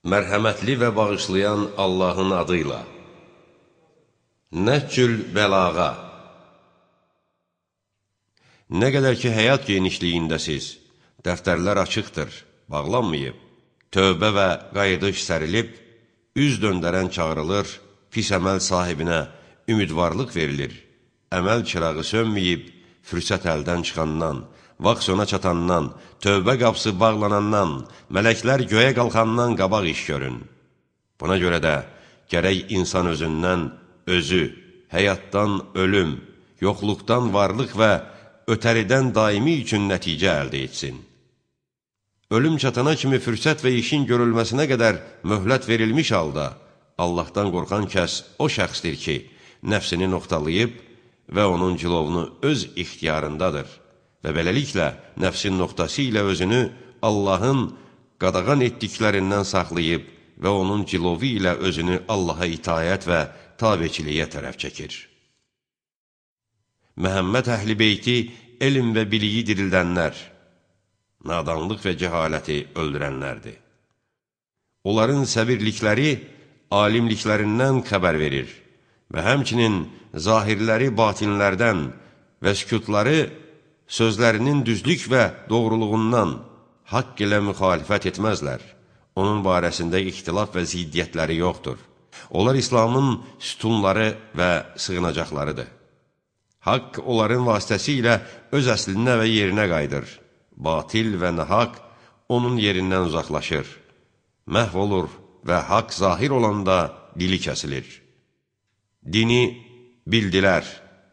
Mərhəmətli və bağışlayan Allahın adıyla. Nəhcül bəlağa. Nə qədər ki, həyat genişliyindəsiz, dəftərlər açıqdır, bağlanmayıb, tövbə və qayıdış sərilib, üz döndərən çağırılır, pis əməl sahibinə ümidvarlıq verilir, əməl çırağı sönməyib, fürsət əldən çıxandan, vaxt sona çatandan, tövbə qapısı bağlanandan, mələklər göyə qalxandan qabaq iş görün. Buna görə də gərək insan özündən özü, həyatdan ölüm, yoxluqdan varlıq və ötəridən daimi üçün nəticə əldə etsin. Ölüm çatana kimi fürsət və işin görülməsinə qədər möhlət verilmiş halda, Allahdan qorxan kəs o şəxsdir ki, nəfsini noxtalayıb və onun cilovunu öz ixtiyarındadır. Və beləliklə, nəfsin noxtası ilə özünü Allahın qadağan etdiklərindən saxlayıb və onun cilovu ilə özünü Allaha itayət və tabeçiliyə tərəf çəkir. Məhəmməd əhl-i beyti elm və biliyi dirildənlər, nadanlıq və cəhaləti öldürənlərdir. Onların səbirlikləri alimliklərindən xəbər verir və həmçinin zahirləri batinlərdən və sükutları sözlərinin düzlük və doğruluğundan haqq ilə müxalifət etməzlər. Onun barəsində ixtilaf və ziddiyyətləri yoxdur. Onlar İslamın sütunları və sığınacaqlarıdır. Haqq onların vasitəsilə öz əslinə və yerinə qayıdır. Batil və nahaq onun yerindən uzaqlaşır. Məhv olur və haqq zahir olanda dili kəsilir. Dini bildilər,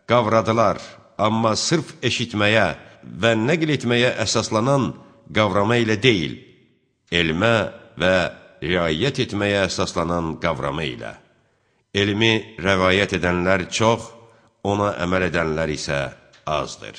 qavradılar. Amma sırf eşitməyə və nəql etməyə əsaslanan qavrama ilə deyil, elmə və riayət etməyə əsaslanan qavrama ilə. Elmi rəvayət edənlər çox, ona əməl edənlər isə azdır.